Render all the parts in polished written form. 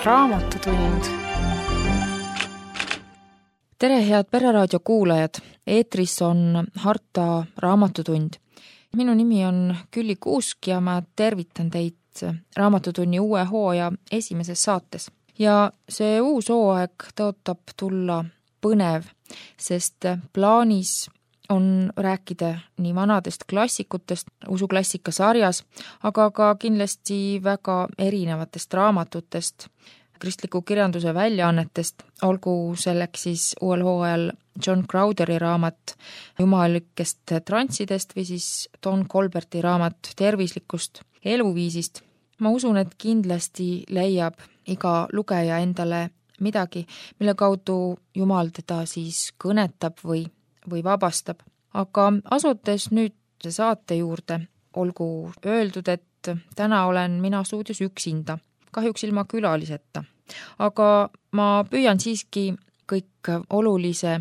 Raamatutund. Tere, head Pereraadio kuulajad! Eetris on Harta Raamatutund. Minu nimi on Külli Kuusk ja ma tervitan teid Raamatutunni uue hooaja esimeses saates. Ja see uus hooaeg tõotab tulla põnev, sest plaanis on rääkida nii vanadest klassikutest usuklassika sarjas, aga ka kindlasti väga erinevatest raamatutest, kristliku kirjanduse väljaannetest, olgu selleks siis uuel hooajal John Crowderi raamat jumalikest transidest või siis Don Colberti raamat tervislikust eluviisist. Ma usun, et kindlasti leiab iga lugeja endale midagi, mille kaudu Jumal teda siis kõnetab või vabastab. Aga asudes nüüd saate juurde, olgu öeldud, et täna olen mina stuudios üksinda, kahjuks ilma külaliseta. Aga ma püüan siiski kõik olulise,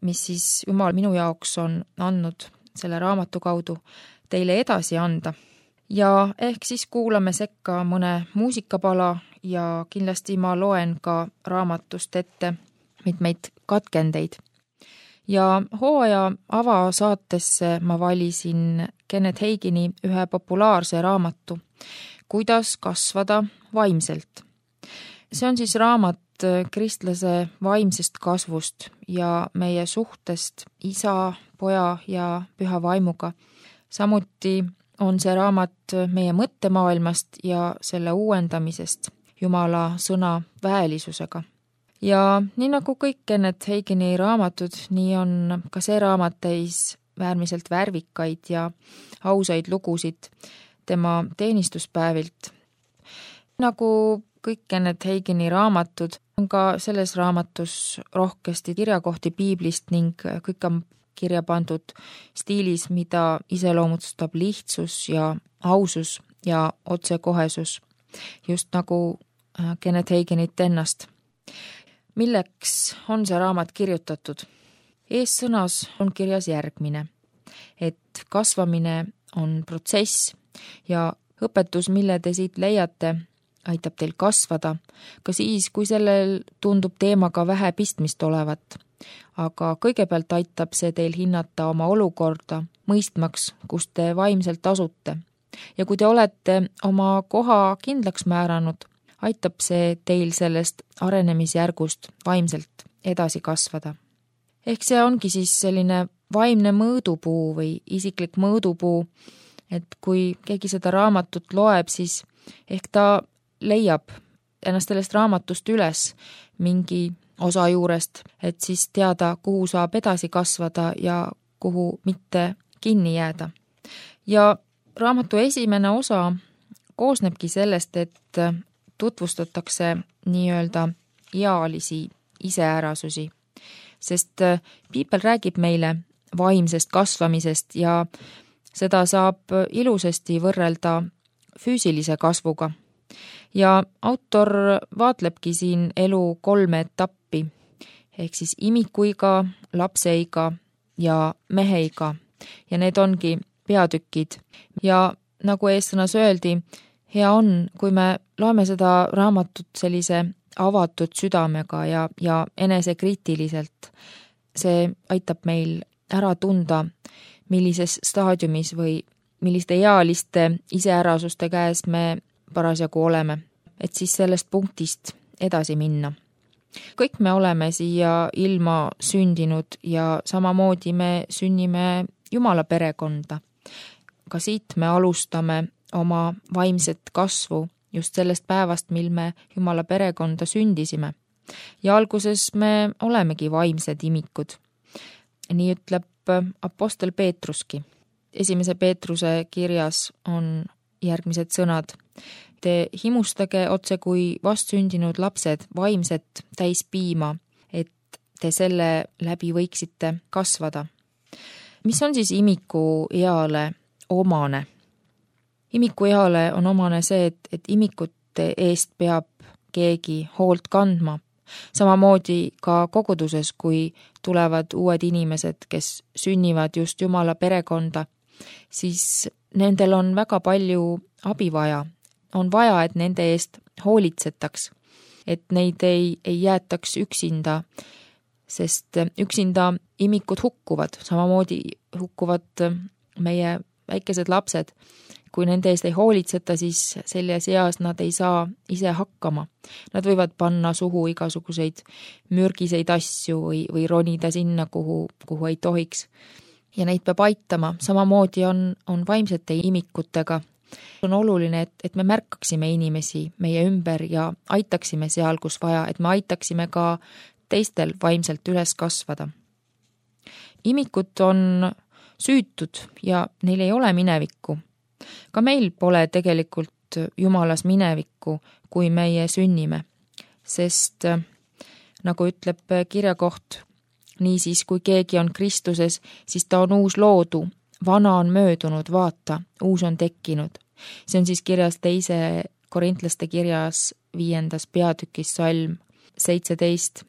mis siis Jumal minu jaoks on andnud selle raamatu kaudu, teile edasi anda. Ja ehk siis kuulame sekka mõne muusikapala ja kindlasti ma loen ka raamatust ette mitmeid katkendeid. Ja hooaja avasaatesse ma valisin Kenneth Hagini ühe populaarse raamatu Kuidas kasvada vaimselt. See on siis raamat kristlase vaimsest kasvust ja meie suhtest isa, poja ja püha vaimuga. Samuti on see raamat meie mõttemaailmast ja selle uuendamisest Jumala sõna väelisusega. Ja nii nagu kõik Kenneth Hagini raamatud, nii on ka see raamat täis äärmiselt värvikaid ja ausaid lugusid tema teenistuspäevilt. Nagu kõik Kenneth Hagini raamatud, on ka selles raamatus rohkesti kirjakohti piiblist ning kõik on kirja pandud stiilis, mida iseloomustab lihtsus ja ausus ja otsekohesus, just nagu Kenneth Haginit ennast. Milleks on see raamat kirjutatud? Eessõnas on kirjas järgmine, et kasvamine on protsess ja õpetus, mille te siit leiate, aitab teil kasvada, ka siis, kui sellel tundub teemaga vähe pistmist olevat. Aga kõigepealt aitab see teil hinnata oma olukorda, mõistmaks, kus te vaimselt asute. Ja kui te olete oma koha kindlaks määranud, aitab see teil sellest arenemisjärgust vaimselt edasi kasvada. Ehk see ongi siis selline vaimne mõõdupuu või isiklik mõõdupuu, et kui keegi seda raamatut loeb, siis ehk ta leiab ennast sellest raamatust üles mingi osa juurest, et siis teada, kuhu saab edasi kasvada ja kuhu mitte kinni jääda. Ja raamatu esimene osa koosnebki sellest, et tutvustatakse nii-öelda ealisi iseärasusi, sest piibel räägib meile vaimsest kasvamisest ja seda saab ilusasti võrrelda füüsilise kasvuga. Ja autor vaatlebki siin elu 3 etappi, ehk siis imikuiga, lapseiga ja meheiga. Ja need ongi peatükid. Ja nagu eessõnas öeldi, hea on, kui me loeme seda raamatut sellise avatud südamega ja enesekriitiliselt. See aitab meil ära tunda, millises staadiumis või milliste ealiste iseärasuste käes me parasjagu oleme, et siis sellest punktist edasi minna. Kõik me oleme siia ilma sündinud ja samamoodi me sünnime Jumala perekonda. Ka siit me alustame oma vaimset kasvu just sellest päevast, mil me Jumala perekonda sündisime. Ja alguses me olemegi vaimsed imikud. Nii ütleb apostel Peetruski. 1. Peetruse kirjas on järgmised sõnad. Te himustage otse kui vastsündinud lapsed vaimset täis piima, et te selle läbi võiksite kasvada. Mis on siis imiku eale omane? Imiku eale on omane see, et imikute eest peab keegi hoolt kandma. Samamoodi ka koguduses, kui tulevad uued inimesed, kes sünnivad just Jumala perekonda, siis nendel on väga palju abi vaja. On vaja, et nende eest hoolitsetaks. et neid ei jäetaks üksinda, sest üksinda imikud hukkuvad, samamoodi hukkuvad meie väikesed lapsed. Kui nende eest ei hoolitseta, siis selles eas nad ei saa ise hakkama. Nad võivad panna suhu igasuguseid mürgiseid asju või ronida sinna, kuhu ei tohiks. Ja neid peab aitama. Samamoodi on vaimsete imikutega. On oluline, et me märkaksime inimesi meie ümber ja aitaksime seal, kus vaja, et me aitaksime ka teistel vaimselt üles kasvada. Imikud on süütud ja neil ei ole minevikku. Ka meil pole tegelikult Jumalas minevikku, kui meie sünnime, sest nagu ütleb kirjakoht, niisiis kui keegi on Kristuses, siis ta on uus loodu, vana on möödunud, vaata, uus on tekkinud. See on siis kirjas 2. Korintlaste kirjas 5. peatükis salm 17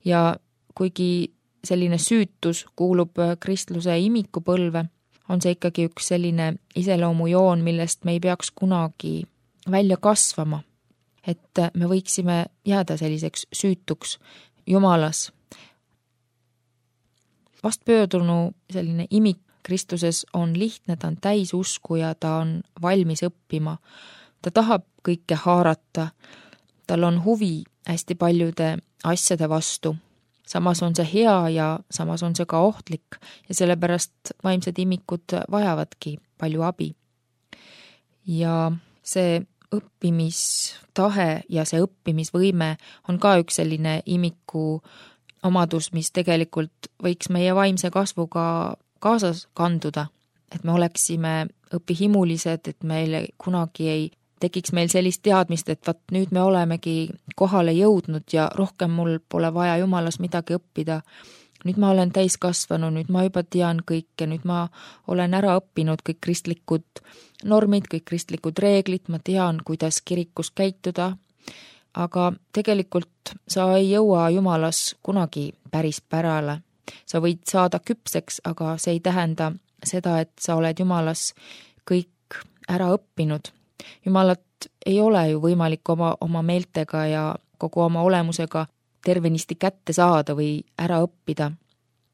ja kuigi selline süütus kuulub kristluse imikupõlve, on see ikkagi üks selline iseloomujoon, millest me ei peaks kunagi välja kasvama, et me võiksime jääda selliseks süütuks Jumalas. Vastpöördunu selline imik Kristuses on lihtne, ta on täis usku ja ta on valmis õppima. Ta tahab kõike haarata, tal on huvi hästi paljude asjade vastu. Samas on see hea ja samas on see ka ohtlik ja sellepärast vaimsed imikud vajavadki palju abi. Ja see õppimistahe ja see õppimisvõime on ka üks selline imiku omadus, mis tegelikult võiks meie vaimse kasvuga kaasas kanduda, et me oleksime õpihimulised, et meil kunagi ei tekiks meil sellist teadmist, et nüüd me olemegi kohale jõudnud ja rohkem mul pole vaja Jumalas midagi õppida. Nüüd ma olen täiskasvanu, nüüd ma juba tean kõike, nüüd ma olen ära õppinud kõik kristlikud normid, kõik kristlikud reeglid, ma tean, kuidas kirikus käituda, aga tegelikult sa ei jõua Jumalas kunagi päris pärale. Sa võid saada küpseks, aga see ei tähenda seda, et sa oled Jumalas kõik ära õppinud. Jumalat ei ole ju võimalik oma meeltega ja kogu oma olemusega tervenisti kätte saada või ära õppida.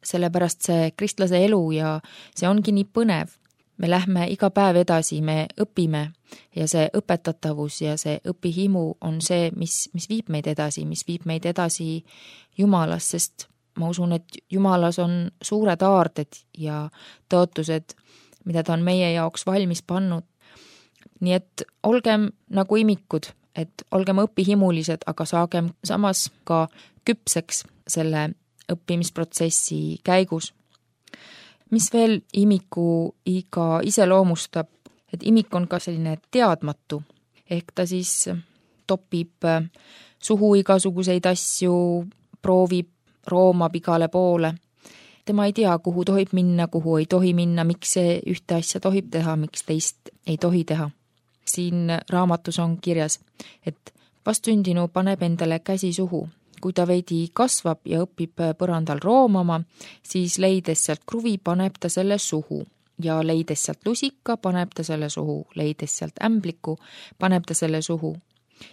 Sellepärast see kristlase elu ja see ongi nii põnev. Me lähme iga päev edasi, me õpime ja see õpetatavus ja see õpihimu on see, mis viib meid edasi Jumalas, sest ma usun, et Jumalas on suured aarded ja tõotused, mida ta on meie jaoks valmis pannud. Nii et olgem nagu imikud, et olgem õpihimulised, aga saagem samas ka küpseks selle õppimisprotsessi käigus. Mis veel imiku iga iseloomustab, et imik on ka selline teadmatu, ehk ta siis topib suhu igasuguseid asju, proovib, roomab igale poole. Tema ei tea, kuhu tohib minna, kuhu ei tohi minna, miks see ühte asja tohib teha, miks teist ei tohi teha. Siin raamatus on kirjas, et vastsündinu paneb endale käsi suhu. Kui ta veidi kasvab ja õpib põrandal roomama, siis leides sealt kruvi paneb ta selle suhu ja leides sealt lusika paneb ta selle suhu, leides sealt ämbliku paneb ta selle suhu.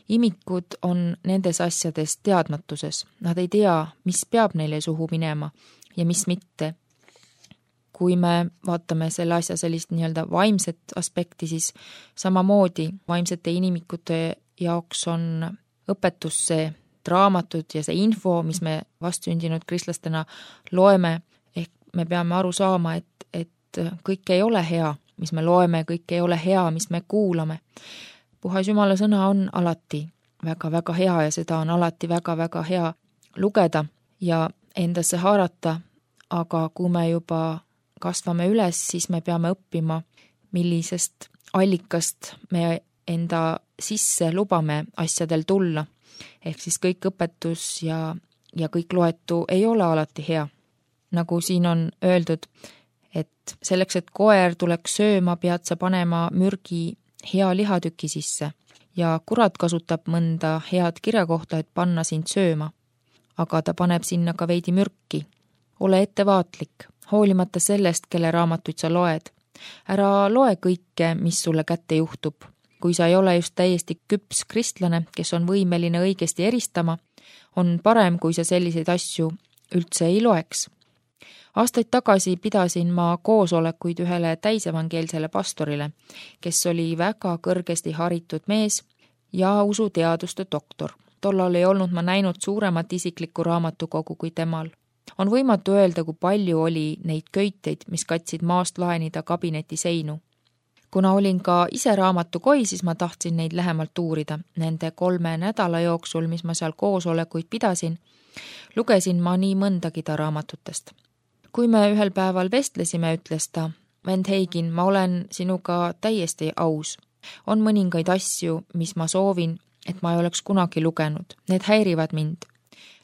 Imikud on nendes asjades teadmatuses. Nad ei tea, mis peab neile suhu minema ja mis mitte. Kui me vaatame selle asja sellist nii-öelda vaimset aspekti, siis samamoodi vaimsete inimikute jaoks on õpetus see raamatud ja see info, mis me vastsündinud kristlastena loeme, ehk me peame aru saama, et kõik ei ole hea, mis me loeme, kõik ei ole hea, mis me kuulame. Puhas Jumala sõna on alati väga-väga hea ja seda on alati väga-väga hea lugeda ja endasse haarata, aga kui me juba kasvame üles, siis me peame õppima, millisest allikast me enda sisse lubame asjadel tulla. Ehk siis kõik õpetus ja kõik loetu ei ole alati hea. Nagu siin on öeldud, et selleks, et koer tuleks sööma, pead sa panema mürgi hea lihatüki sisse ja kurat kasutab mõnda head kirjakohta, et panna sind sööma. Aga ta paneb sinna ka veidi mürki. Ole ettevaatlik, hoolimata sellest, kelle raamatuid sa loed. Ära loe kõike, mis sulle kätte juhtub. kui sa ei ole just täiesti küps kristlane, kes on võimeline õigesti eristama, on parem, kui sa selliseid asju üldse ei loeks. Aastaid tagasi pidasin ma koosolekuid ühele täisevangeelsele pastorile, kes oli väga kõrgesti haritud mees ja usuteaduste doktor. Tollal ei olnud ma näinud suuremat isiklikku raamatukogu kui temal. On võimatu öelda, kui palju oli neid köiteid, mis katsid maast laenida kabineti seinu. Kuna olin ka ise raamatukoi, siis ma tahtsin neid lähemalt uurida. Nende 3 nädala jooksul, mis ma seal koosolekuid pidasin, lugesin ma nii mõndagi ta raamatutest. Kui me ühel päeval vestlesime, ütles ta, vend Heigin, ma olen sinuga täiesti aus. On mõningaid asju, mis ma soovin, et ma ei oleks kunagi lugenud. Need häirivad mind.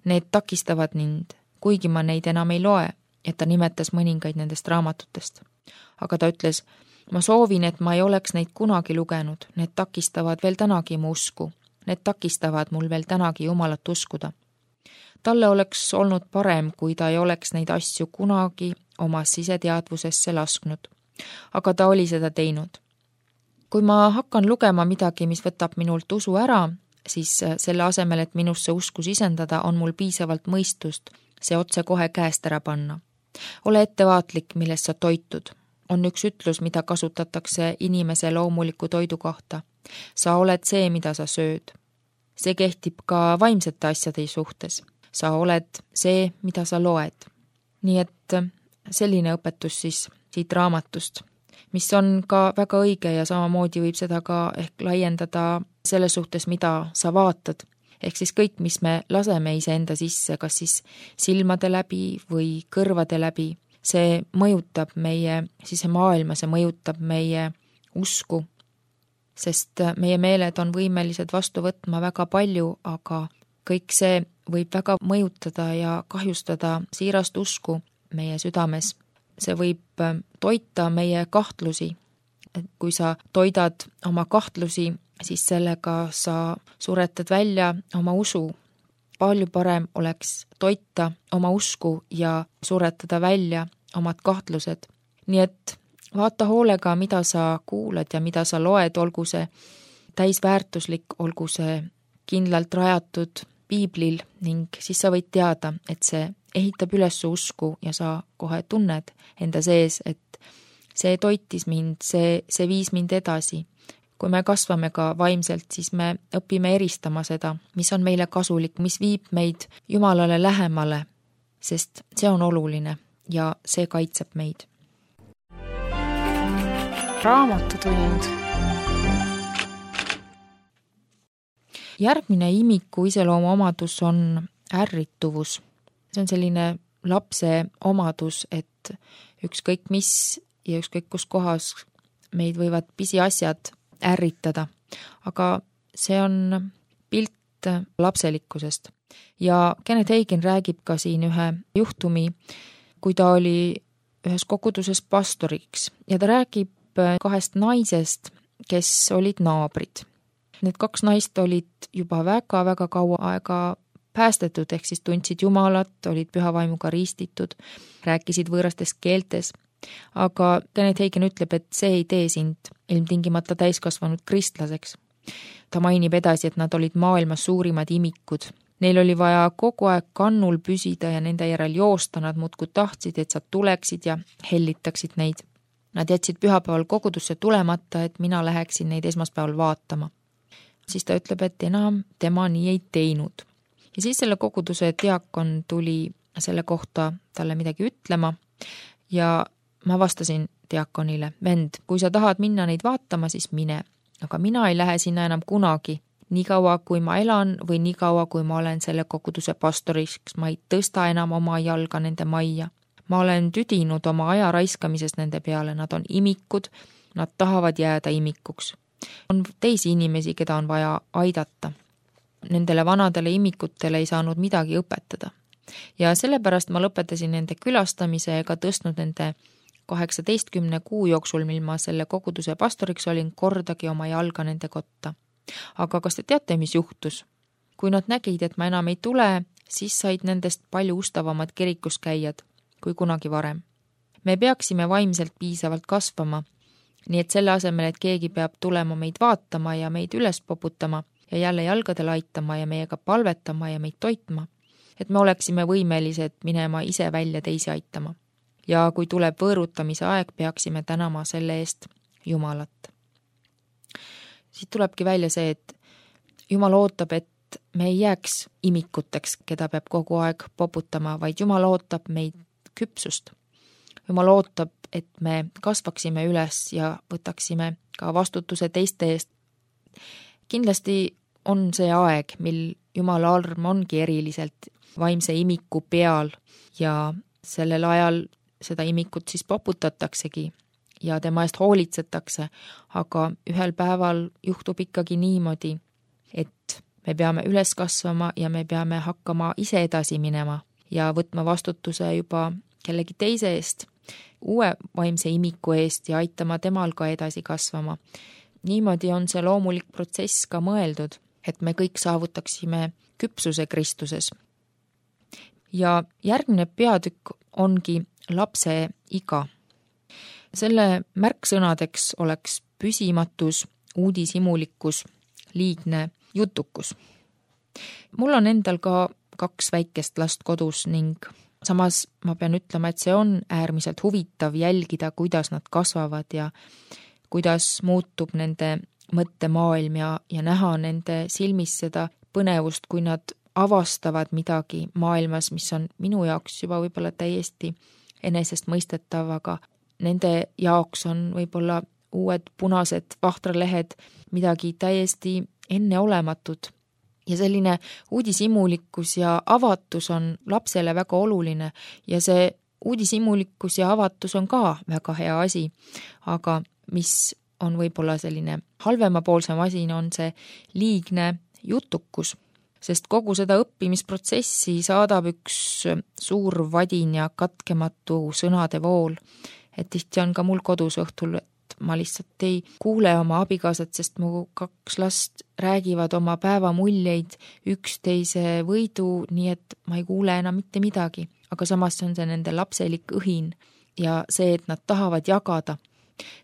Need takistavad mind, kuigi ma neid enam ei loe, et ta nimetas mõningaid nendest raamatutest. Aga ta ütles, ma soovin, et ma ei oleks neid kunagi lugenud. Need takistavad veel tänagi mu usku. Need takistavad mul veel tänagi Jumalat uskuda. Talle oleks olnud parem, kui ta ei oleks neid asju kunagi oma siseteadvusesse lasknud. Aga ta oli seda teinud. Kui ma hakkan lugema midagi, mis võtab minult usu ära, siis selle asemel, et minusse usku sisendada, on mul piisavalt mõistust see otse kohe käest ära panna. Ole ettevaatlik, millest sa toitud. On üks ütlus, mida kasutatakse inimese loomuliku toidu kohta. Sa oled see, mida sa sööd. See kehtib ka vaimsete asjade suhtes. Sa oled see, mida sa loed. Nii et selline õpetus siis siit raamatust, mis on ka väga õige ja samamoodi võib seda ka ehk laiendada selles suhtes, mida sa vaatad. Ehk siis kõik, mis me laseme iseenda sisse, kas siis silmade läbi või kõrvade läbi, see mõjutab meie sisemaailma, see mõjutab meie usku, sest meie meeled on võimelised vastu võtma väga palju, aga kõik see võib väga mõjutada ja kahjustada siirast usku meie südames. See võib toita meie kahtlusi. Kui sa toidad oma kahtlusi, siis sellega sa suretad välja oma usu. Palju parem oleks toita oma usku ja suretada välja omad kahtlused. Nii et vaata hoolega, mida sa kuulad ja mida sa loed, olgu see täisväärtuslik, olgu see kindlalt rajatud piiblil ning siis sa võid teada, et see ehitab üles usku ja sa kohe tunned enda sees, et see toitis mind, see viis mind edasi. Kui me kasvame ka vaimselt, siis me õpime eristama seda, mis on meile kasulik, mis viib meid Jumalale lähemale, sest see on oluline ja see kaitseb meid. Raamatutund. Järgmine imiku iseloomu omadus on ärrituvus. See on selline lapse omadus, et ükskõik mis ja ükskõik kus kohas meid võivad pisiasjad ärritada. Aga see on pilt lapselikkusest. Ja Kenneth Hagin räägib ka siin ühe juhtumi, kui ta oli ühes koguduses pastoriks ja ta räägib 2 naisest, kes olid naabrid. Need 2 naist olid juba väga-väga kaua aega päästetud, ehk siis tundsid Jumalat, olid püha vaimuga ristitud, rääkisid võõrastes keeltes. Aga Kenneth Hagin ütleb, et see ei tee sind ilmtingimata täiskasvanud kristlaseks. Ta mainib edasi, et nad olid maailmas suurimad imikud. Neil oli vaja kogu aeg kannul püsida ja nende järel joosta, nad muudkui tahtsid, et sa tuleksid ja hellitaksid neid. Nad jätsid pühapäeval kogudusse tulemata, et mina läheksin neid esmaspäeval vaatama. Siis ta ütleb, et enam tema nii ei teinud. Ja siis selle koguduse diakon tuli selle kohta talle midagi ütlema ja ma vastasin diakonile, vend, kui sa tahad minna neid vaatama, siis mine. Aga mina ei lähe sinna enam kunagi, nii kaua kui ma elan või nii kaua kui ma olen selle koguduse pastoriks, ma ei tõsta enam oma jalga nende majja. Ma olen tüdinud oma aja raiskamisest nende peale, nad on imikud, nad tahavad jääda imikuks. On teisi inimesi, keda on vaja aidata. Nendele vanadele imikutele ei saanud midagi õpetada. Ja sellepärast ma lõpetasin nende külastamise ega tõstnud nende 18 kuu jooksul, mil ma selle koguduse pastoriks olin, kordagi oma jalga nende kotta. Aga kas te teate, mis juhtus? Kui nad nägid, et ma enam ei tule, siis said nendest palju ustavamad kirikus käijad kui kunagi varem. Me peaksime vaimselt piisavalt kasvama, Nii et selle asemel, et keegi peab tulema meid vaatama ja meid üles poputama ja jälle jalgadel aitama ja meiega palvetama ja meid toitma, et me oleksime võimelised minema ise välja teisi aitama. Ja kui tuleb võõrutamise aeg, peaksime tänama selle eest Jumalat. Siit tulebki välja see, et Jumal ootab, et me ei jääks imikuteks, keda peab kogu aeg poputama, vaid Jumal ootab meid küpsust. Jumal ootab, et me kasvaksime üles ja võtaksime ka vastutuse teiste eest. Kindlasti on see aeg, mil Jumala arm ongi eriliselt vaimse imiku peal ja sellel ajal seda imikut siis poputataksegi ja tema eest hoolitsetakse, aga ühel päeval juhtub ikkagi niimoodi, et me peame üles kasvama ja me peame hakkama ise edasi minema ja võtma vastutuse juba kellegi teise eest, uue vaimse imiku eest ja aitama temal ka edasi kasvama. Niimoodi on see loomulik protsess ka mõeldud, et me kõik saavutaksime küpsuse Kristuses. Ja järgmine peatükk ongi lapse iga. Selle märksõnadeks oleks püsimatus, uudishimulikkus, liigne jutukus. Mul on endal ka 2 väikest last kodus ning samas ma pean ütlema, et see on äärmiselt huvitav jälgida, kuidas nad kasvavad ja kuidas muutub nende mõttemaailm ja näha nende silmis seda põnevust, kui nad avastavad midagi maailmas, mis on minu jaoks juba võib-olla täiesti enesestmõistetav, aga nende jaoks on võib-olla uued punased vahtralehed midagi täiesti enneolematut. Ja selline uudishimulikkus ja avatus on lapsele väga oluline ja see uudishimulikkus ja avatus on ka väga hea asi, aga mis on võib-olla selline halvemapoolsem asi, on see liigne jutukus, sest kogu seda õppimisprotsessi saadab üks suur vadin ja katkematu sõnade vool, et tihti on ka mul kodus õhtul, et ma lihtsalt ei kuule oma abikaasat, sest mu 2 last räägivad oma päevamuljeid üksteise võidu, nii et ma ei kuule enam mitte midagi, aga samas on see nende lapselik õhin ja see, et nad tahavad jagada.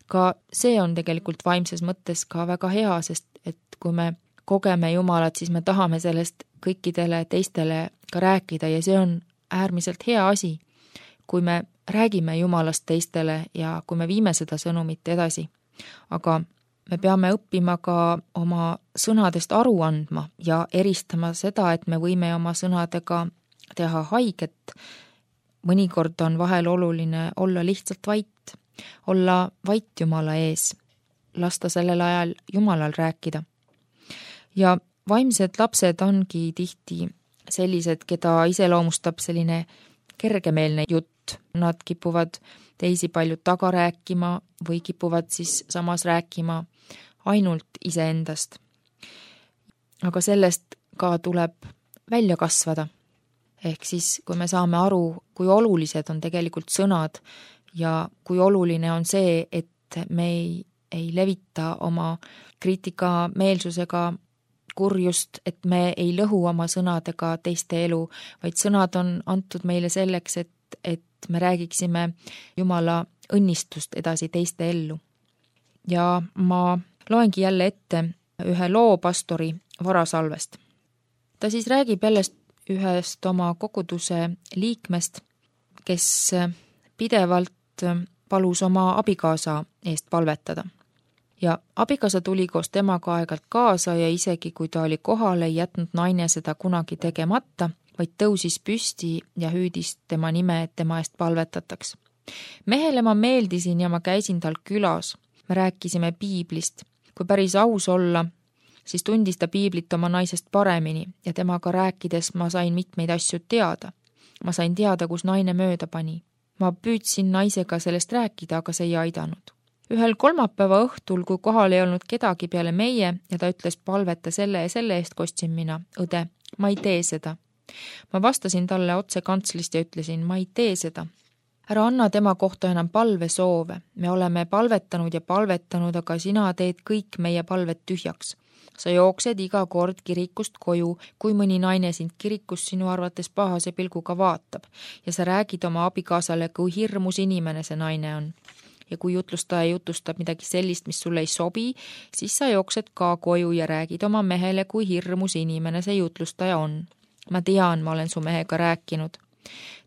Ka see on tegelikult vaimses mõttes ka väga hea, sest et kui me kogeme Jumalat, siis me tahame sellest kõikidele teistele ka rääkida ja see on äärmiselt hea asi, kui me räägime Jumalast teistele ja kui me viime seda sõnumit edasi. Aga me peame õppima ka oma sõnadest aru andma ja eristama seda, et me võime oma sõnadega teha haiget. Mõnikord on vahel oluline olla lihtsalt vait, olla vait Jumala ees, lasta sellel ajal Jumalal rääkida. Ja vaimsed lapsed ongi tihti sellised, keda iseloomustab selline kergemeelne jutt. Nad kipuvad teisi palju taga rääkima või kipuvad siis samas rääkima ainult iseendast. Aga sellest ka tuleb välja kasvada. Ehk siis, kui me saame aru, kui olulised on tegelikult sõnad ja kui oluline on see, et me ei levita oma kriitikameelsusega kurjust, et me ei lõhu oma sõnadega teiste elu, vaid sõnad on antud meile selleks, et me räägiksime Jumala õnnistust edasi teiste ellu. Ja ma loengi jälle ette ühe loo pastori Varasalvest. Ta siis räägib jällest ühest oma koguduse liikmest, kes pidevalt palus oma abikaasa eest palvetada. Ja abikaasa tuli koos temaga aegalt kaasa ja isegi kui ta oli kohal, ei jätnud naine seda kunagi tegemata, vaid tõusis püsti ja hüüdis tema nime, et tema eest palvetataks. Mehele ma meeldisin ja ma käisin tal külas. Me rääkisime piiblist. Kui päris aus olla, siis tundis ta piiblit oma naisest paremini ja temaga rääkides ma sain mitmeid asju teada. Ma sain teada, kus naine mööda pani. Ma püüdsin naisega sellest rääkida, aga see ei aidanud. Ühel kolmapäeva õhtul, kui kohal ei olnud kedagi peale meie ja ta ütles palveta selle ja selle eest, kostsin mina, õde, ma ei tee seda. Ma vastasin talle otse kantslist ja ütlesin, ma ei tee seda. Ära anna tema kohta enam palvesoove. Me oleme palvetanud ja palvetanud, aga sina teed kõik meie palvet tühjaks. Sa jooksed iga kord kirikust koju, kui mõni naine sind kirikus sinu arvates pahase pilguga vaatab ja sa räägid oma abikaasale, kui hirmus inimene see naine on. ja kui jutlustaja jutustab midagi sellist, mis sulle ei sobi, siis sa jooksed ka koju ja räägid oma mehele, kui hirmus inimene see jutlustaja on. Ma tean, ma olen su mehega rääkinud.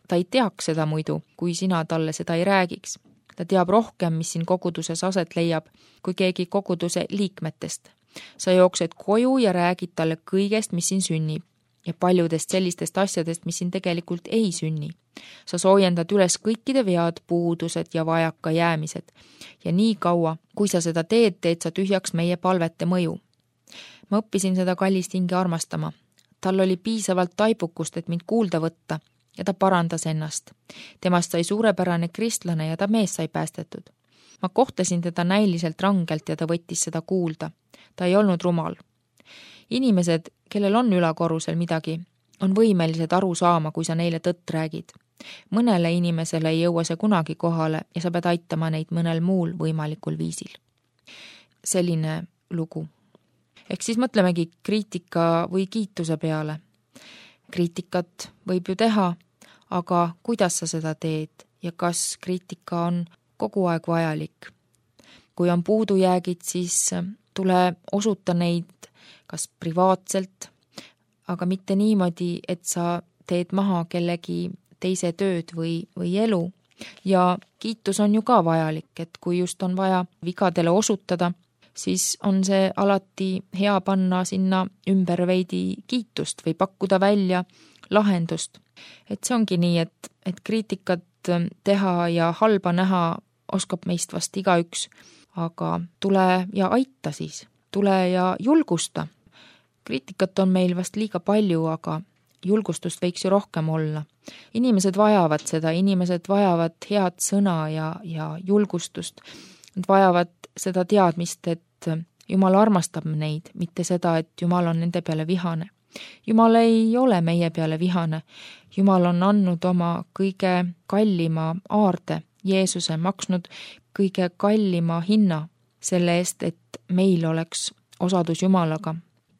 Ta ei teaks seda muidu, kui sina talle seda ei räägiks. Ta teab rohkem, mis siin koguduses aset leiab, kui keegi koguduse liikmetest. Sa jooksed koju ja räägid talle kõigest, mis siin sünnib ja paljudest sellistest asjadest, mis siin tegelikult ei sünni. Sa soojendad üles kõikide vead, puudused ja vajaka jäämised. Ja nii kaua, kui sa seda teed sa tühjaks meie palvete mõju. Ma õppisin seda kallist hinge armastama. Tal oli piisavalt taipukust, et mind kuulda võtta ja ta parandas ennast. Temast sai suurepärane kristlane ja ta mees sai päästetud. Ma kohtlesin teda näiliselt rangelt ja ta võttis seda kuulda. Ta ei olnud rumal. Inimesed, kellel on ülakorrusel midagi, on võimelised aru saama, kui sa neile tõtt räägid. Mõnele inimesele ei jõua see kunagi kohale ja sa pead aitama neid mõnel muul võimalikul viisil. Selline lugu. Ehk siis mõtlemegi kriitika või kiituse peale. Kriitikat võib ju teha, aga kuidas sa seda teed ja kas kriitika on kogu aeg vajalik? Kui on puudujäägid, siis tule osuta neid kas privaatselt, aga mitte niimoodi, et sa teed maha kellegi teise tööd või elu. Ja kiitus on ju ka vajalik, et kui just on vaja vigadele osutada, siis on see alati hea panna sinna ümber veidi kiitust või pakkuda välja lahendust. Et see ongi nii, et kriitikat teha ja halba näha oskab meist vast igaüks, aga tule ja aita siis, tule ja julgusta. Kriitikat on meil vast liiga palju, aga julgustust võiks ju rohkem olla. Inimesed vajavad seda, inimesed vajavad head sõna ja julgustust. Nad vajavad seda teadmist, et Jumal armastab neid, mitte seda, et Jumal on nende peale vihane. Jumal ei ole meie peale vihane. Jumal on andnud oma kõige kallima aarde, Jeesuse, maksnud kõige kallima hinna selle eest, et meil oleks osadus Jumalaga.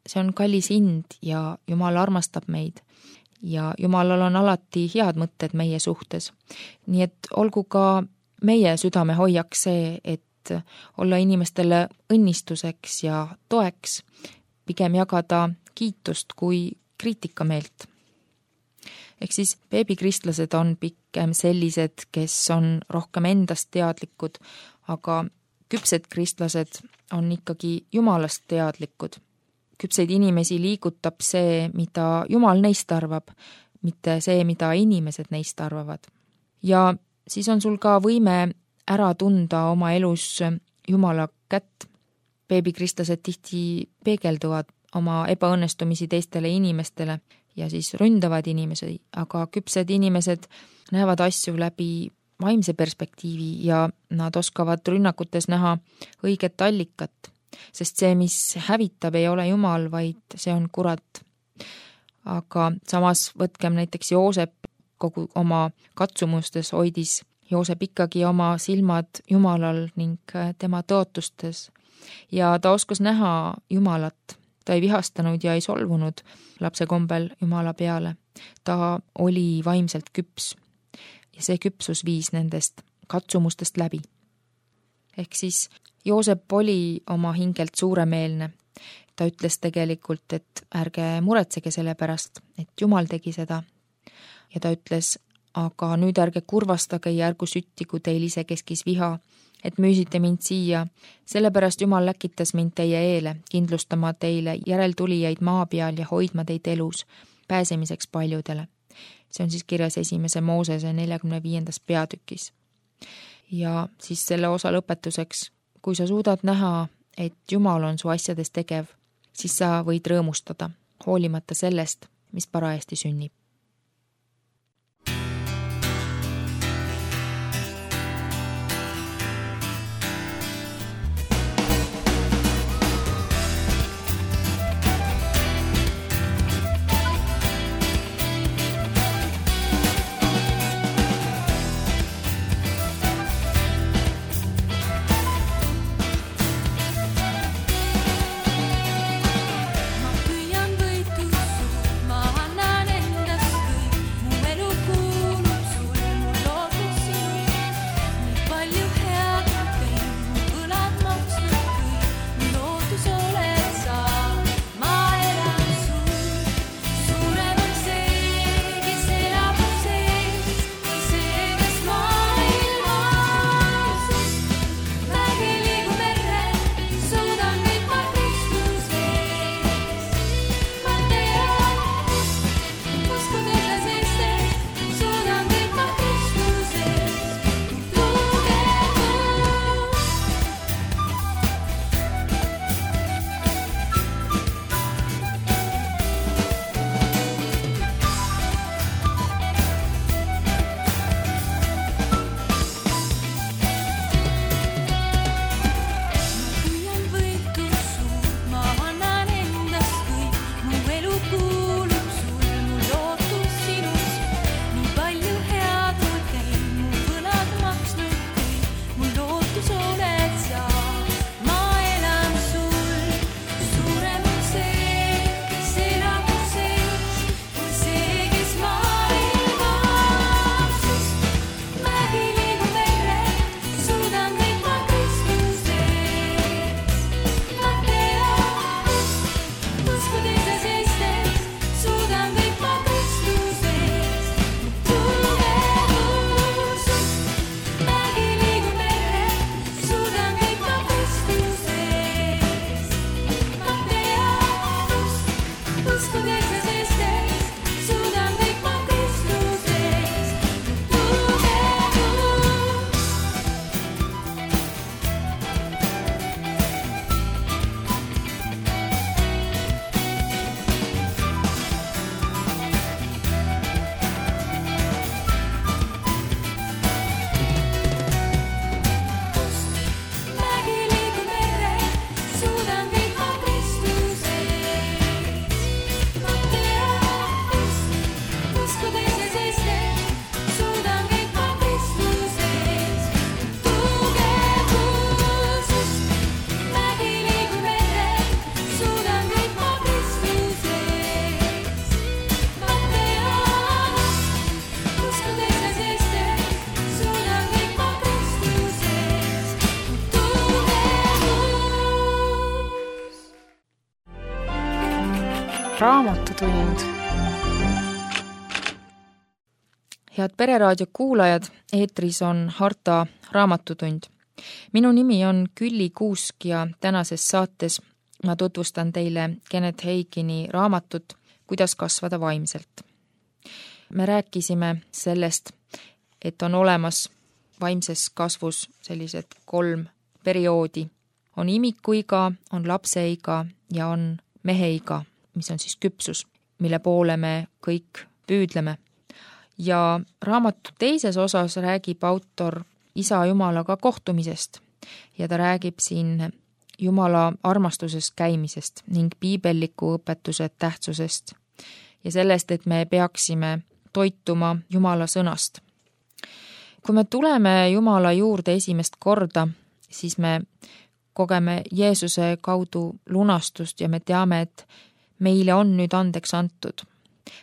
See on kallis hind ja Jumal armastab meid ja Jumalal on alati head mõtted meie suhtes. Nii et olgu ka meie südame hoiaks see, et olla inimestele õnnistuseks ja toeks, pigem jagada kiitust kui kriitikameelt. Ehk siis beebikristlased on pigem sellised, kes on rohkem endast teadlikud, aga küpsed kristlased on ikkagi Jumalast teadlikud. Küpseid inimesi liigutab see, mida Jumal neist arvab, mitte see, mida inimesed neist arvavad. Ja siis on sul ka võime ära tunda oma elus Jumala kätt. Beebikristlased tihti peegelduvad oma ebaõnnestumisi teistele inimestele ja siis ründavad inimesi, aga küpsed inimesed näevad asju läbi vaimse perspektiivi ja nad oskavad rünnakutes näha õiget allikat. Sest see, mis hävitab, ei ole Jumal, vaid see on kurat. Aga samas võtkem näiteks Joosep kogu oma katsumustes hoidis Joosep ikkagi oma silmad Jumalal ning tema tõotustes. Ja ta oskas näha Jumalat. Ta ei vihastanud ja ei solvunud lapse kombel Jumala peale. Ta oli vaimselt küps ja see küpsus viis nendest katsumustest läbi. Ehk siis Joosep oli oma hingelt suuremeelne. Ta ütles tegelikult, et ärge muretsege selle pärast, et Jumal tegi seda. Ja ta ütles, aga nüüd ärge kurvastage ja ärgu süttigu teil isekeskis viha, et müüsite mind siia. Sellepärast Jumal läkitas mind teie eele, kindlustama teile järeltulijaid maa peal ja hoidma teid elus, pääsemiseks paljudele. See on siis kirjas 1. Moosese 45. peatükis. Ja siis selle osa lõpetuseks, kui sa suudad näha, et Jumal on su asjades tegev, siis sa võid rõõmustada, hoolimata sellest, mis parajasti sünnib. Ma püüan võitu, ma annan enda Raamatutund. Head Pereraadio kuulajad, eetris on Harta Raamatutund. Minu nimi on Külli Kuusk ja tänases saates ma tutvustan teile Kenneth Hagini raamatut Kuidas kasvada vaimselt. Me rääkisime sellest, et on olemas vaimses kasvus sellised 3 perioodi. On imikuiga, on lapseiga ja on meheiga, mis on siis küpsus, mille poole me kõik püüdleme. Ja raamatu teises osas räägib autor Isa Jumalaga kohtumisest ja ta räägib siin Jumala armastuses käimisest ning piibelliku õpetuse tähtsusest ja sellest, et me peaksime toituma Jumala sõnast. Kui me tuleme Jumala juurde esimest korda, siis me kogeme Jeesuse kaudu lunastust ja me teame, et meile on nüüd andeks antud.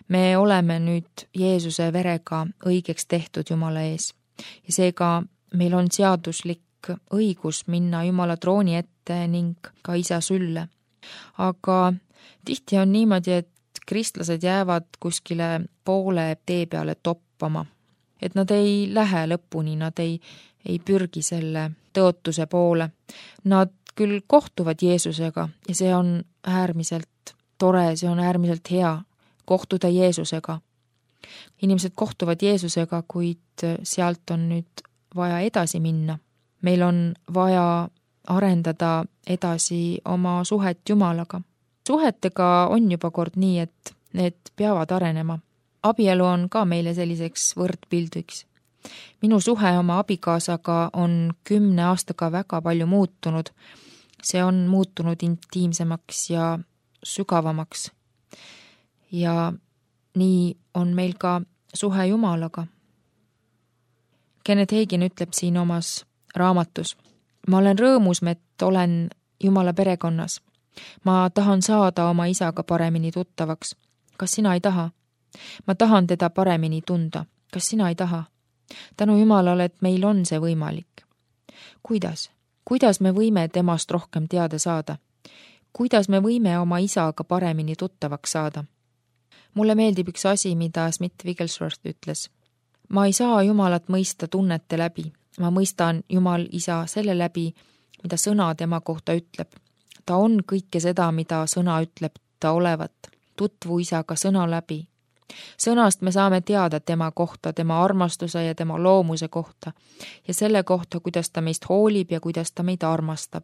Me oleme nüüd Jeesuse verega õigeks tehtud Jumala ees ja seega meil on seaduslik õigus minna Jumala trooni ette ning ka Isa sülle. Aga tihti on niimoodi, et kristlased jäävad kuskile poole tee peale toppama. Et nad ei lähe lõpuni, nad ei pürgi selle tõotuse poole. Nad küll kohtuvad Jeesusega ja see on äärmiselt tore, see on äärmiselt hea kohtuda Jeesusega. Inimesed kohtuvad Jeesusega, kuid sealt on nüüd vaja edasi minna. Meil on vaja arendada edasi oma suhet Jumalaga. Suhetega on juba kord nii, et need peavad arenema. Abielu on ka meile selliseks võrdpildiks. Minu suhe oma abikaasaga on 10 aastaga väga palju muutunud. See on muutunud intiimsemaks ja sügavamaks. Ja nii on meil ka suhe Jumalaga. Kenneth Hagin ütleb siin omas raamatus: ma olen rõõmus, et olen Jumala perekonnas. Ma tahan saada oma isaga paremini tuttavaks. Kas sina ei taha? Ma tahan teda paremini tunda. Kas sina ei taha? Tänu Jumalale, et meil on see võimalik. Kuidas? Kuidas me võime temast rohkem teada saada? Kuidas me võime oma isaga paremini tuttavaks saada? Mulle meeldib üks asi, mida Smith Wigglesworth ütles. Ma ei saa Jumalat mõista tunnete läbi. Ma mõistan Jumal isa selle läbi, mida sõna tema kohta ütleb. Ta on kõike seda, mida sõna ütleb ta olevat. Tutvu isaga sõna läbi. Sõnast me saame teada tema kohta, tema armastuse ja tema loomuse kohta ja selle kohta, kuidas ta meist hoolib ja kuidas ta meid armastab.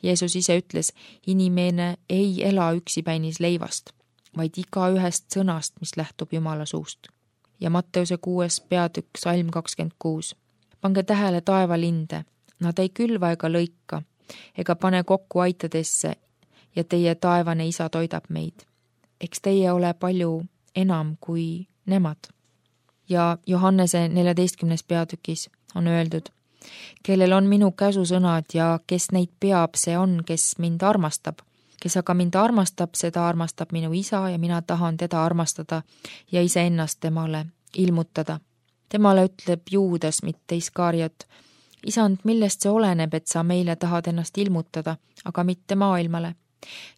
Jeesus ise ütles, inimene ei ela üksipäinis leivast, vaid iga ühest sõnast, mis lähtub Jumala suust. Ja Matteuse 6. peatükk, salm 26. Pange tähele taevalinde, nad ei külva ega lõika, ega pane kokku aitadesse ja teie taevane isa toidab meid. Eks teie ole palju enam kui nemad. Ja Johannese 14. peatükis on öeldud, kellel on minu käsusõnad ja kes neid peab, see on, kes mind armastab. Kes aga mind armastab, seda armastab minu isa ja mina tahan teda armastada ja iseennast temale ilmutada. Temale ütleb Juudas, mitte Iskariot, isand, millest see oleneb, et sa meile tahad ennast ilmutada, aga mitte maailmale.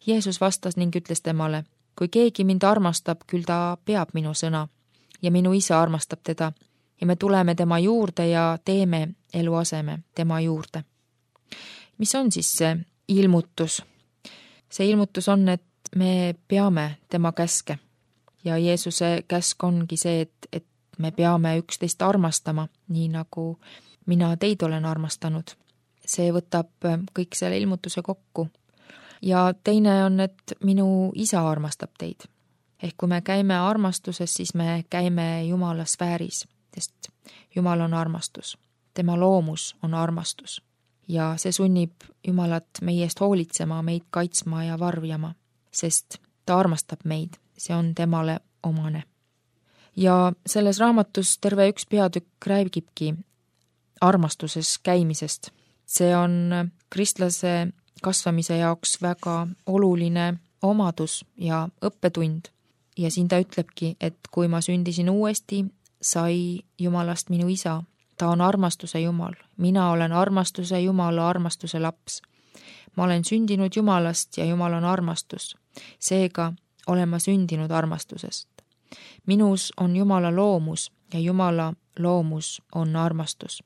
Jeesus vastas ning ütles temale, kui keegi mind armastab, küll ta peab minu sõna ja minu isa armastab teda ja me tuleme tema juurde ja teeme eluaseme tema juurde. Mis on siis see ilmutus? See ilmutus on, et me peame tema käske ja Jeesuse käsk ongi see, et me peame üksteist armastama, nii nagu mina teid olen armastanud. See võtab kõik selle ilmutuse kokku. Ja teine on, et minu isa armastab teid. Ehk kui me käime armastuses, siis me käime Jumala sfääris, sest Jumal on armastus. Tema loomus on armastus. Ja see sunnib Jumalat meie eest hoolitsema, meid kaitsma ja varjama, sest ta armastab meid. See on temale omane. Ja selles raamatus terve üks peatükk räägibki armastuses käimisest. See on kristlase kasvamise jaoks väga oluline omadus ja õppetund. Ja siin ta ütlebki, et kui ma sündisin uuesti, sai Jumalast minu isa. Ta on armastuse Jumal. Mina olen armastuse Jumala armastuse laps. Ma olen sündinud Jumalast ja Jumal on armastus. Seega olen ma sündinud armastusest. Minus on Jumala loomus ja Jumala loomus on armastus.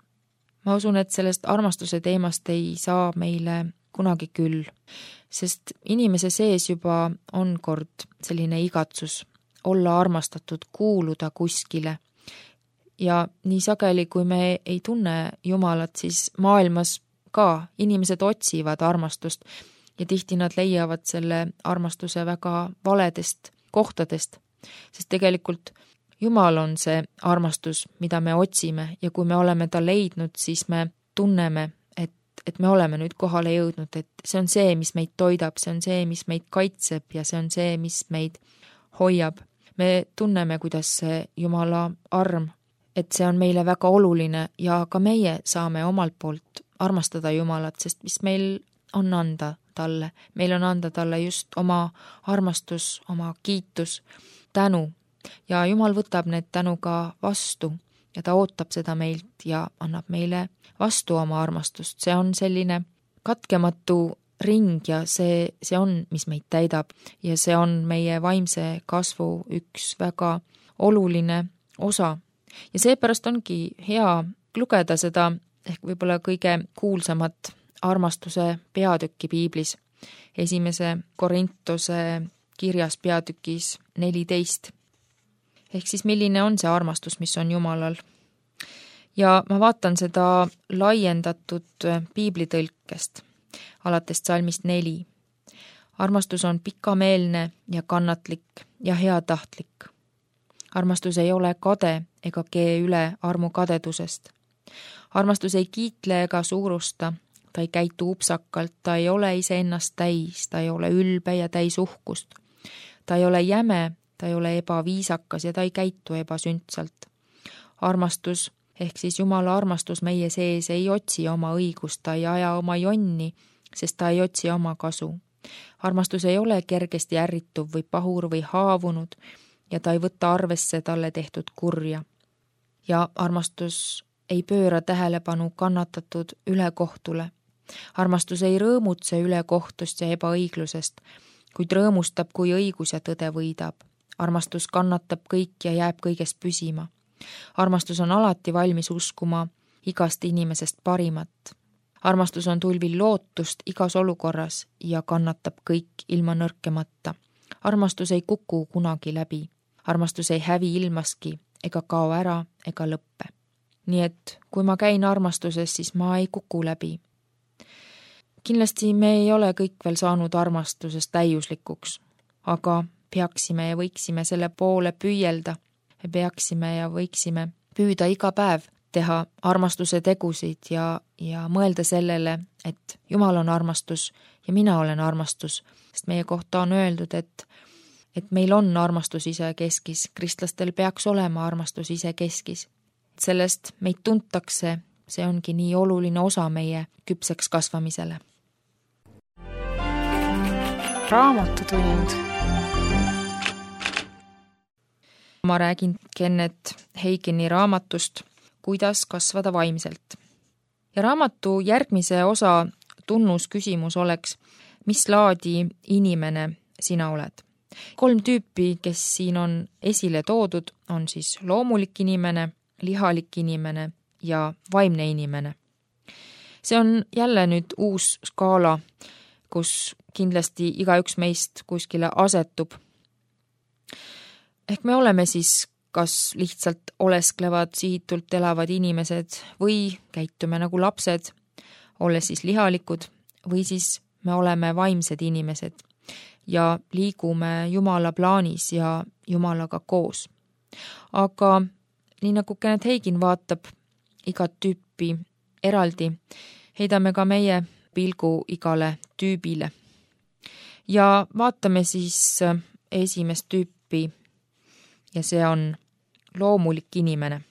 Ma usun, et sellest armastuse teemast ei saa meile kunagi küll, sest inimese sees juba on kord selline igatsus olla armastatud, kuuluda kuskile. Ja nii sageli, kui me ei tunne Jumalat, siis maailmas ka inimesed otsivad armastust ja tihti nad leiavad selle armastuse väga valedest kohtadest, sest tegelikult Jumal on see armastus, mida me otsime ja kui me oleme ta leidnud, siis me tunneme, et me oleme nüüd kohale jõudnud, et see on see, mis meid toidab, see on see, mis meid kaitseb ja see on see, mis meid hoiab. Me tunneme, kuidas see Jumala arm, et see on meile väga oluline ja ka meie saame omalt poolt armastada Jumalat, sest mis meil on anda talle. Meil on anda talle just oma armastus, oma kiitus, tänu ja Jumal võtab need tänuga vastu ja ta ootab seda meilt ja annab meile vastu oma armastust. See on selline katkematu ring ja see on, mis meid täidab ja see on meie vaimse kasvu üks väga oluline osa. Ja seepärast ongi hea lugeda seda ehk võib-olla kõige kuulsamat armastuse peatükki piiblis, 1. Korintuse kirjas peatükis 14. Ehk siis milline on see armastus, mis on Jumalal. Ja ma vaatan seda laiendatud piiblitõlkest alates salmist 4. Armastus on pikameelne ja kannatlik ja heatahtlik. Armastus ei ole kade ega kee üle armu kadedusest. Armastus ei kiitle ega suurusta, ta ei käitu upsakalt, ta ei ole iseennast täis, ta ei ole ülbe ja täis uhkust. Ta ei ole jäme, ta ei ole ebaviisakas ja ta ei käitu ebasündsalt. Armastus, ehk siis Jumala armastus meie sees ei otsi oma õigust, ta ei aja oma jonni, sest ta ei otsi oma kasu. Armastus ei ole kergesti ärrituv või pahur või haavunud ja ta ei võta arvesse talle tehtud kurja. Ja armastus ei pööra tähelepanu kannatatud ülekohtule. Armastus ei rõõmutse ülekohtust ja ebaõiglusest, kuid rõõmustab, kui õigus ja tõde võidab. Armastus kannatab kõik ja jääb kõigest püsima. Armastus on alati valmis uskuma igast inimesest parimat. Armastus on tulvil lootust igas olukorras ja kannatab kõik ilma nõrkemata. Armastus ei kuku kunagi läbi. Armastus ei hävi ilmaski ega kao ära ega lõppe. Nii et kui ma käin armastuses, siis ma ei kuku läbi. Kindlasti me ei ole kõik veel saanud armastusest täiuslikuks, aga peaksime ja võiksime selle poole püüelda. Me peaksime ja võiksime püüda iga päev teha armastuse tegusid ja mõelda sellele, et Jumal on armastus ja mina olen armastus, sest meie kohta on öeldud, et meil on armastus ise keskis, kristlastel peaks olema armastus ise keskis. Sellest meid tuntakse, see ongi nii oluline osa meie küpseks kasvamisele. Raamatutund. Ma räägin Kenneth Hagini raamatust Kuidas kasvada vaimselt. Ja raamatu järgmise osa tunnusküsimus oleks, mis laadi inimene sina oled? 3 tüüpi, kes siin on esile toodud, on siis loomulik inimene, lihalik inimene ja vaimne inimene. See on jälle nüüd uus skaala, kus kindlasti igaüks meist kuskile asetub. Ehk me oleme siis kas lihtsalt olesklevad, sihitult elavad inimesed või käitume nagu lapsed, olles siis lihalikud, või siis me oleme vaimsed inimesed ja liigume Jumala plaanis ja Jumalaga koos. Aga nii nagu Kenneth Hagin vaatab igat tüüpi eraldi, heidame ka meie pilgu igale tüübile. Ja vaatame siis esimest tüüpi ja see on loomulik inimene.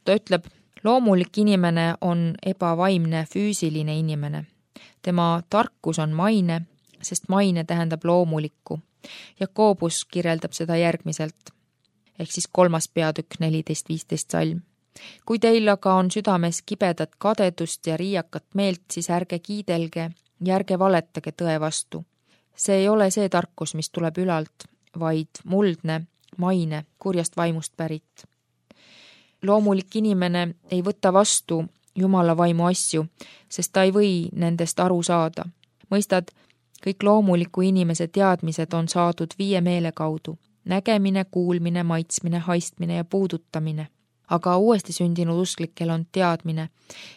Ta ütleb, loomulik inimene on ebavaimne füüsiline inimene. Tema tarkus on maine, sest maine tähendab loomulikku. Jakobus kirjeldab seda järgmiselt, ehk siis 3. peatükk 14-15 salm. Kui teil aga on südames kibedat kadedust ja riiakat meelt, siis ärge kiidelge ja ärge valetage tõe vastu. See ei ole see tarkus, mis tuleb ülalt, vaid muldne, maine, kurjast vaimust pärit. Loomulik inimene ei võta vastu Jumala vaimu asju, sest ta ei või nendest aru saada. Mõistad, kõik loomuliku inimese teadmised on saadud 5 meele kaudu. Nägemine, kuulmine, maitsmine, haistmine ja puudutamine. Aga uuesti sündinud usklikel on teadmine,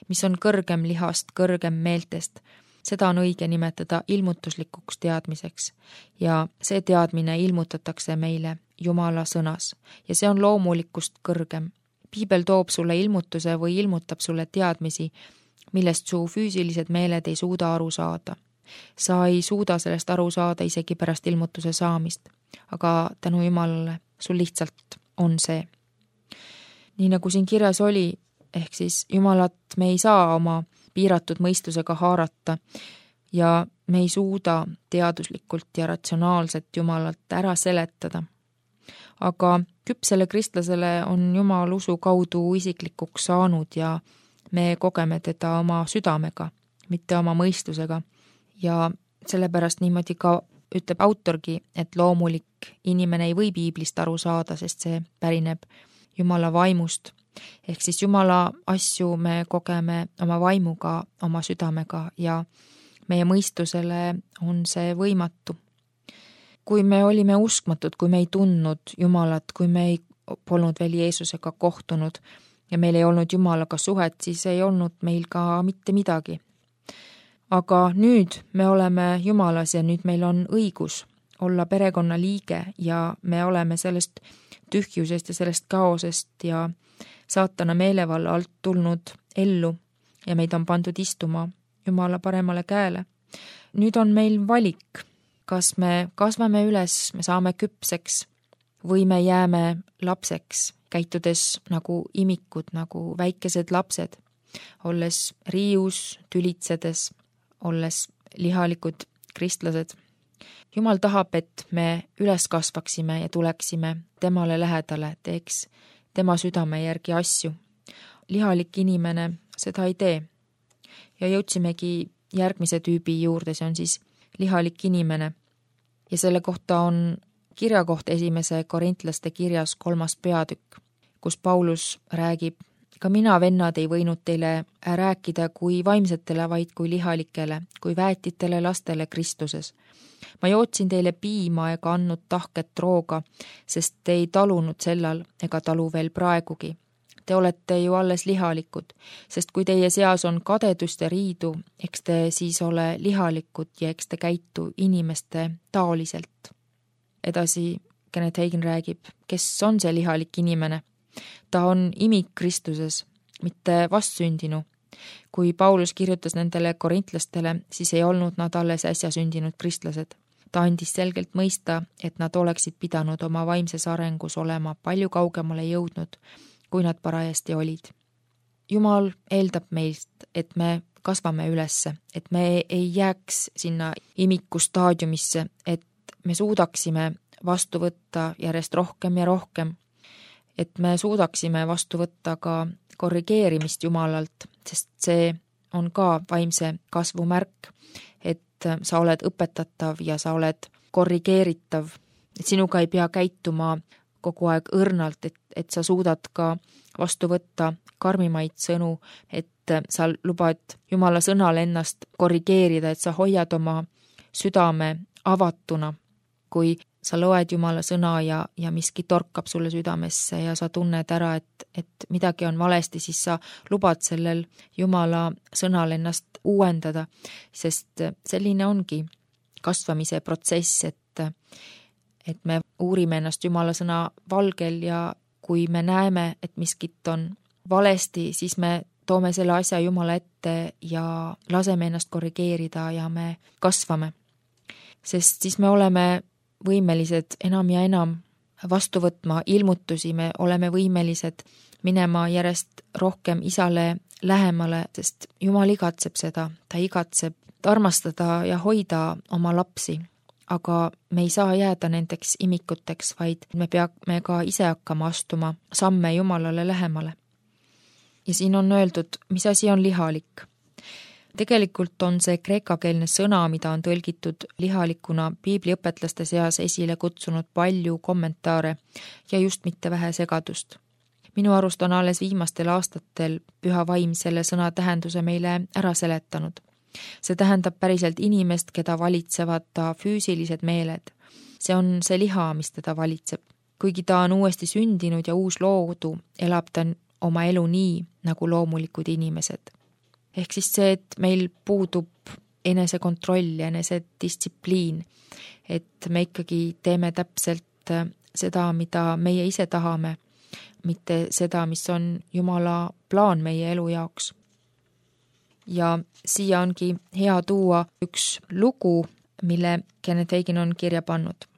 mis on kõrgem lihast, kõrgem meeltest. Seda on õige nimetada ilmutuslikuks teadmiseks. Ja see teadmine ilmutatakse meile Jumala sõnas. Ja see on loomulikust kõrgem. Piibel toob sulle ilmutuse või ilmutab sulle teadmisi, millest su füüsilised meeled ei suuda aru saada. Sa ei suuda sellest aru saada isegi pärast ilmutuse saamist, aga tänu Jumalale sul lihtsalt on see. Nii nagu siin kirjas oli, ehk siis Jumalat me ei saa oma piiratud mõistusega haarata ja me ei suuda teaduslikult ja ratsionaalselt Jumalat ära seletada. Aga küpsele kristlasele on Jumal usu kaudu isiklikuks saanud ja me kogeme teda oma südamega, mitte oma mõistusega. Ja sellepärast niimoodi ka ütleb autorgi, et loomulik inimene ei või piiblist aru saada, sest see pärineb Jumala vaimust. Ehk siis Jumala asju me kogeme oma vaimuga, oma südamega ja meie mõistusele on see võimatu. Kui me olime uskmatud, kui me ei tundnud Jumalat, kui me ei polnud veel Jeesusega kohtunud ja meil ei olnud Jumalaga suhet, siis ei olnud meil ka mitte midagi. Aga nüüd me oleme Jumalas ja nüüd meil on õigus olla perekonna liige ja me oleme sellest tühjusest ja sellest kaosest ja saatana meelevalla alt tulnud ellu ja meid on pandud istuma Jumala paremale käele. Nüüd on meil valik, kas me kasvame üles, me saame küpseks või me jääme lapseks, käitudes nagu imikud, nagu väikesed lapsed, olles riius, tülitsedes, olles lihalikud kristlased. Jumal tahab, et me üles kasvaksime ja tuleksime temale lähedale, teeks tema südame järgi asju. Lihalik inimene seda ei tee. Ja jõudsimegi järgmise tüübi juurde, see on siis lihalik inimene. Ja selle kohta on kirjakoht 1. Korintlaste kirjas 3. peatükk, kus Paulus räägib: ka mina, vennad, ei võinud teile rääkida kui vaimsetele, vaid kui lihalikele, kui väetitele lastele Kristuses. Ma jootsin teile piima ega andnud tahket rooga, sest te ei talunud sellal ega talu veel praegugi. Te olete ju alles lihalikud, sest kui teie seas on kadedust ja riidu, eks te siis ole lihalikud ja eks te käitu inimeste taoliselt. Edasi Kenneth Hagin räägib, kes on see lihalik inimene. Ta on imik Kristuses, mitte vastsündinu. Kui Paulus kirjutas nendele korintlastele, siis ei olnud nad alles äsja sündinud kristlased. Ta andis selgelt mõista, et nad oleksid pidanud oma vaimses arengus olema palju kaugemale jõudnud, kui nad parajasti olid. Jumal eeldab meilt, et me kasvame ülesse, et me ei jääks sinna imiku staadiumisse, et me suudaksime vastu võtta järjest rohkem ja rohkem, et me suudaksime vastu võtta ka korrigeerimist Jumalalt, sest see on ka vaimse kasvu märk, et sa oled õpetatav ja sa oled korrigeeritav, et sinuga ei pea käituma kogu aeg õrnalt, et sa suudad ka vastu võtta karmimaid sõnu, et sa lubad Jumala sõnal ennast korrigeerida, et sa hoiad oma südame avatuna, kui sa loed Jumala sõna ja miski torkab sulle südamesse ja sa tunned ära, et midagi on valesti, siis sa lubad sellel Jumala sõnal ennast uuendada, sest selline ongi kasvamise protsess, et me uurime ennast Jumala sõna valgel ja kui me näeme, et miskit on valesti, siis me toome selle asja Jumala ette ja laseme ennast korrigeerida ja me kasvame. Sest siis me oleme võimelised enam ja enam vastu võtma ilmutusi, me oleme võimelised minema järjest rohkem Isale lähemale, sest Jumal igatseb seda, ta igatseb armastada ja hoida oma lapsi, aga me ei saa jääda nendeks imikuteks, vaid me peame ka ise hakkama astuma samme Jumalale lähemale. Ja siin on öeldud, mis asi on lihalik. Tegelikult on see kreekakeelne sõna, mida on tõlgitud lihalikuna piibliõpetlaste seas esile kutsunud palju kommentaare ja just mitte vähe segadust. Minu arust on alles viimastel aastatel Püha Vaim selle sõna tähenduse meile ära seletanud. See tähendab päriselt inimest, keda valitsevad ta füüsilised meeled. See on see liha, mis teda valitseb. Kuigi ta on uuesti sündinud ja uus loodu, elab ta oma elu nii, nagu loomulikud inimesed. Ehk siis see, et meil puudub enesekontroll ja enesedistsipliin, et me ikkagi teeme täpselt seda, mida meie ise tahame, mitte seda, mis on Jumala plaan meie elu jaoks. Ja siia ongi hea tuua üks lugu, mille Kenneth Hagin on kirja pannud.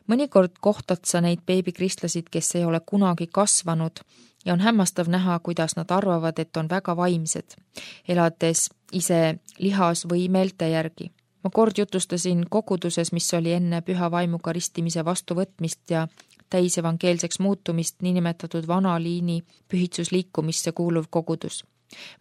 Mõnikord kohtad sa neid beebikristlasi, kes ei ole kunagi kasvanud ja on hämmastav näha, kuidas nad arvavad, et on väga vaimsed, elades ise lihas või meelte järgi. Ma kord jutustasin koguduses, mis oli enne Püha Vaimuga ristimise vastuvõtmist ja täisevangeelseks muutumist niinimetatud vana liini pühitsusliikumisse kuuluv kogudus.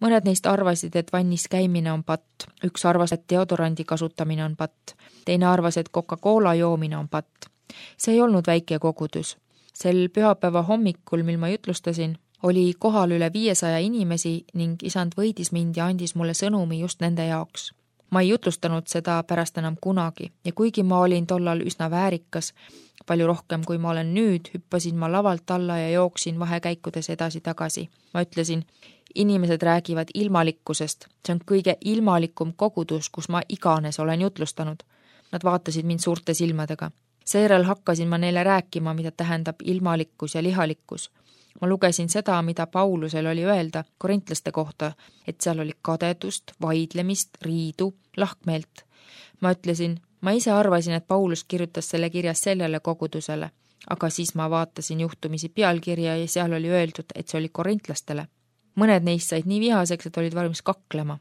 Mõned neist arvasid, et vannis käimine on patt, üks arvas, et deodorandi kasutamine on patt, teine arvas, et Coca-Cola joomine on patt. See ei olnud väike kogudus. Sel pühapäeva hommikul, mil ma jutlustasin, oli kohal üle 500 inimesi ning isand võidis mind ja andis mulle sõnumi just nende jaoks. Ma ei jutlustanud seda pärast enam kunagi ja kuigi ma olin tollal üsna väärikas, palju rohkem kui ma olen nüüd, hüppasin ma lavalt alla ja jooksin vahekäikudes edasi-tagasi. Ma ütlesin, inimesed räägivad ilmalikkusest, see on kõige ilmalikum kogudus, kus ma iganes olen jutlustanud. Nad vaatasid mind suurte silmadega. Seejärel hakkasin ma neile rääkima, mida tähendab ilmalikkus ja lihalikkus. Ma lugesin seda, mida Paulusel oli öelda korintlaste kohta, et seal oli kadedust, vaidlemist, riidu, lahkmeelt. Ma ütlesin, ma ise arvasin, et Paulus kirjutas selle kirja sellele kogudusele, aga siis ma vaatasin juhtumisi pealkirja ja seal oli öeldud, et see oli korintlastele. Mõned neist said nii vihaseks, et olid valmis kaklema,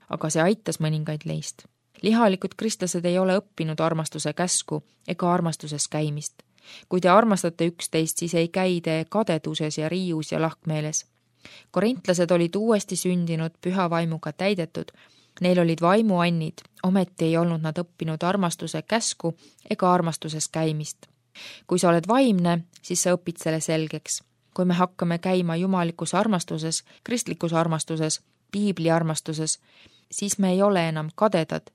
aga see aitas mõningaid neist. Lihalikud kristlased ei ole õppinud armastuse käsku ega armastuses käimist. Kui te armastate üksteist, siis ei käi te kadeduses ja riius ja lahkmeeles. Korintlased olid uuesti sündinud Püha Vaimuga täidetud, neil olid vaimuannid, ometi ei olnud nad õppinud armastuse käsku ega armastuses käimist. Kui sa oled vaimne, siis sa õpid selle selgeks. Kui me hakkame käima jumalikus armastuses, kristlikus armastuses, piibli armastuses, siis me ei ole enam kadedad.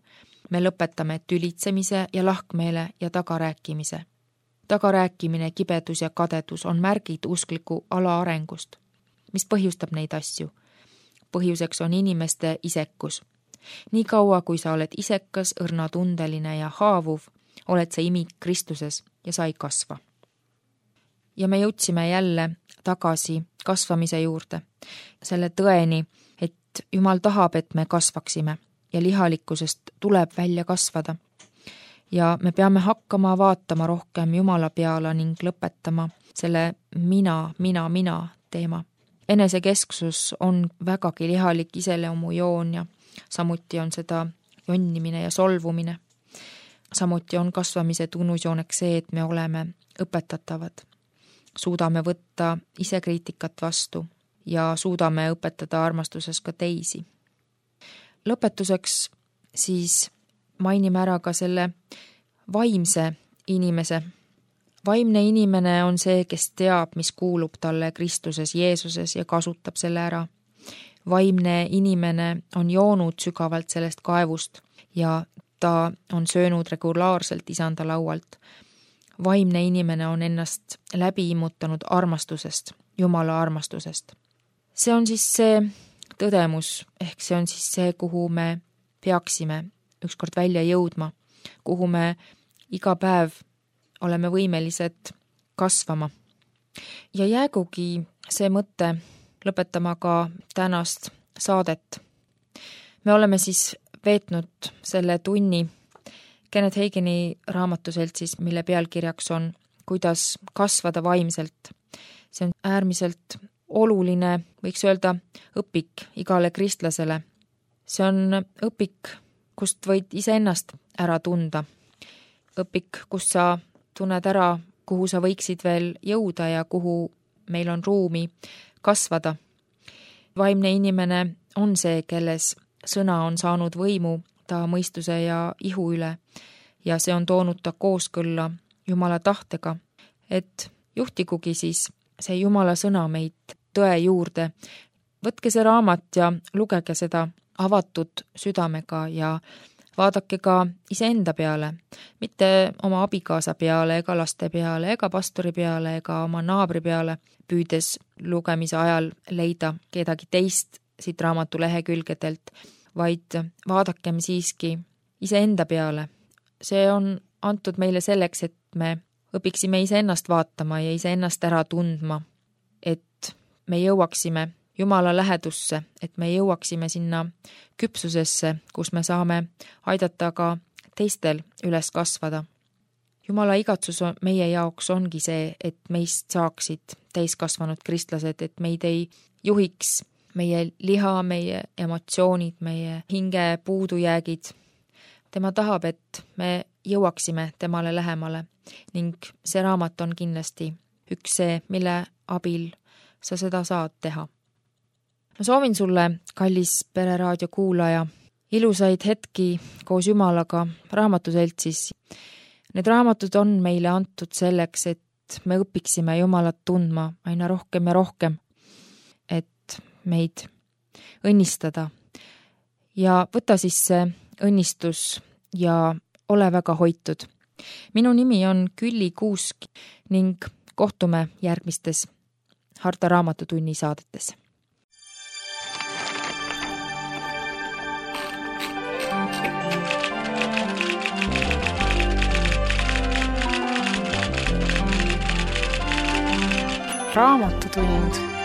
Me lõpetame tülitsemise ja lahkmeele ja tagarääkimise. Tagarääkimine, kibedus ja kadedus on märgid uskliku alaarengust. Mis põhjustab neid asju? Põhjuseks on inimeste isekus. Nii kaua, kui sa oled isekas, õrnatundeline ja haavuv, oled sa imik Kristuses ja sa ei kasva. Ja me jõudsime jälle tagasi kasvamise juurde, selle tõeni, et Jumal tahab, et me kasvaksime ja lihalikkusest tuleb välja kasvada. Ja me peame hakkama vaatama rohkem Jumala peale ning lõpetama selle mina teema. Enesekesksus on vägagi lihalik iseloomujoon ja samuti on seda jonnimine ja solvumine. Samuti on kasvamise tunnusjooneks see, et me oleme õpetatavad. Suudame võtta ise kriitikat vastu ja suudame õpetada armastuses ka teisi. Lõpetuseks siis mainime ära ka selle vaimse inimese. Vaimne inimene on see, kes teab, mis kuulub talle Kristuses Jeesuses ja kasutab selle ära. Vaimne inimene on joonud sügavalt sellest kaevust ja ta on söönud regulaarselt isanda laualt. Vaimne inimene on ennast läbi immutanud armastusest, Jumala armastusest. See on siis see tõdemus, ehk see on siis see, kuhu me peaksime ükskord välja jõudma, kuhu me iga päev oleme võimelised kasvama. Ja jäägugi see mõte lõpetama ka tänast saadet. Me oleme siis veetnud selle tunni Kenneth Hagini raamatuselt siis, mille pealkirjaks on Kuidas kasvada vaimselt. See on äärmiselt oluline, võiks öelda, õpik igale kristlasele. See on õpik, kust võid iseennast ära tunda. Õpik, kus sa tunned ära, kuhu sa võiksid veel jõuda ja kuhu meil on ruumi kasvada. Vaimne inimene on see, kelles sõna on saanud võimu ta mõistuse ja ihu üle ja see on toonud ta kooskõlla Jumala tahtega, et juhtigugi siis see Jumala sõna meid tõe juurde. Võtke see raamat ja lugege seda avatud südamega ja vaadake ka iseenda peale, mitte oma abikaasa peale ega laste peale ega pastori peale ega oma naabri peale, püüdes lugemise ajal leida kedagi teist siit raamatu lehekülgedelt, vaid vaadakem siiski iseenda peale. See on antud meile selleks, et me õpiksime iseennast vaatama ja iseennast ära tundma, et me jõuaksime Jumala lähedusse, et me jõuaksime sinna küpsusesse, kus me saame aidata ka teistel üles kasvada. Jumala igatsus meie jaoks ongi see, et meist saaksid täiskasvanud kristlased, et meid ei juhiks meie liha, meie emotsioonid, meie hinge puudujäägid. Tema tahab, et me jõuaksime temale lähemale ning see raamat on kindlasti üks see, mille abil sa seda saad teha. Ma soovin sulle, kallis Pereraadio kuulaja, ilusaid hetki koos Jumalaga raamatuseltsis. Need raamatud on meile antud selleks, et me õpiksime Jumalat tundma aina rohkem ja rohkem, et meid õnnistada. Ja võta siis see õnnistus ja ole väga hoitud. Minu nimi on Külli Kuusk ning kohtume järgmistes Harta Raamatutunni saadetes. Raamatutund.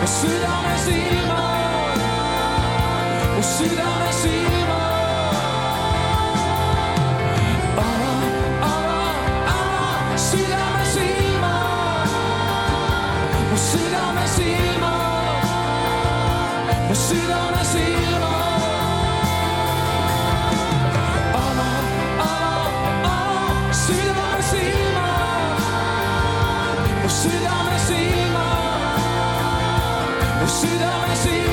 südame silmad, mu südame silmad. Ava südame silmad, mu südame silmad, mu südame silmad. Südame silmad, mu südame silmad, mu südame silmad.